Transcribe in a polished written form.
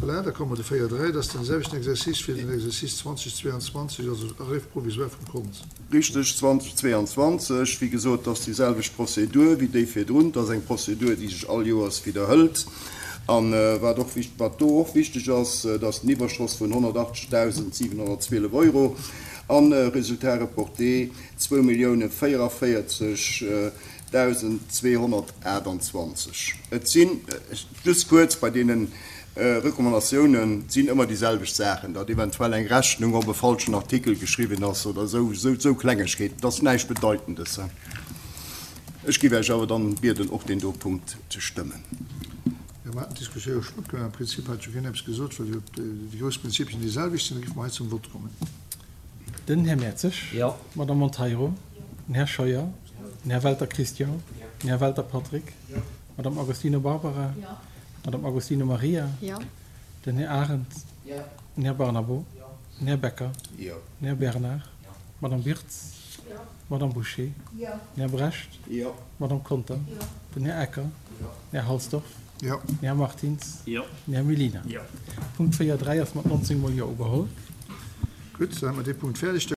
Voilà, da komme mer de 4, 3, dat ass den selwechten Exercice fir den Exercice 2022, also Arrêt provisoire vum Kont. Richteg, 2022. Wéi gesot, et ass déi selwecht Prozedur wéi déi virdrun. Et ass eng Prozedur, déi sech all Joers widderhëlt. A wat och, wat do och wichteg ass, et ass den Iwwerschoss vun 180.712 Euro a Résultat reporté 2.044. 1.228. Et sinn, just kuerz, bei deene Recommandatiounen, et sinn ëmmer déi selwecht Saachen, datt eventuell eng Rechnung op e falschen Artikel geschriwwen ass oder esou, esou Klengegkeeten. Et ass näischt Bedeitendes. Ech géif Iech awer dann bieden, och deen do Punkt ze stëmmen. Jo, mer haten d'Diskussioun jo schonn opgemaach. Am Prinzip hat jo keen eppes gesot, well jo déi grouss Prinzipien déi selwecht sinn. Da géife mer hei zum Vott kommen. Den Här Mertzig. Jo. D'Madame Monteiro. Den Här Scheuer. Den Här Welter Christian. Den Här Welter Patrick. D'Madame Agostino Barbara. D'Madame Agostino Maria. Den Här Arendt. Den Här Barnabo. Den Här Becker. Den Här Bernard. D'Madame Wirtz. D'Madame Bouché. Den Här Brecht. D'Madame Conter. Den Här Ecker. Den Här Halsdorf. Den Här Martins. Den Här Mellina. Punkt 4, 3 ass mat 19 mol Jo ugeholl. Gutt, da hu mer dee Punkt fäerdeg.